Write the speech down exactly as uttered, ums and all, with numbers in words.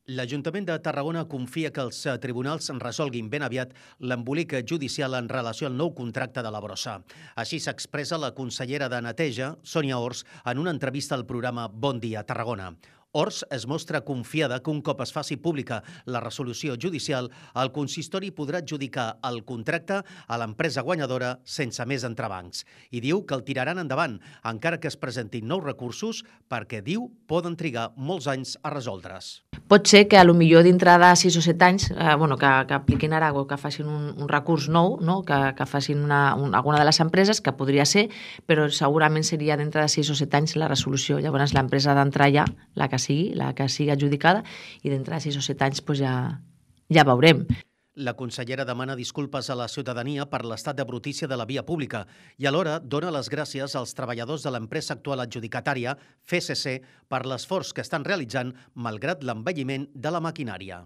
L'Ajuntament de Tarragona confia que els tribunals resolguin ben aviat l'embolic judicial en relació al nou contracte de la brossa. Així s'expressa la consellera de Neteja, Sònia Ors, en una entrevista al programa Bon Dia Tarragona. Ors es mostra confiada que un cop es faci pública la resolució judicial, el consistori podrà adjudicar el contracte a l'empresa guanyadora sense més entrebancs. I diu que el tiraran endavant, encara que es presentin nous recursos, perquè, diu, poden trigar molts anys a resoldre's. Pot ser que a lo millor dintre de sis o set anys eh, bueno, que, que apliquin ara o que facin un, un recurs nou, no? que, que facin una, un, alguna de les empreses, que podria ser, però segurament seria dintre de sis o set anys la resolució. Llavors l'empresa ha d'entrar ja, la que sigui, la que sigui adjudicada, i dintre de sis o set anys pues, ja, ja veurem. La consellera demana disculpes a la ciutadania per l'estat de brutícia de la via pública i alhora dona les gràcies als treballadors de l'empresa actual adjudicatària, F S C, per l'esforç que estan realitzant malgrat l'envelliment de la maquinària.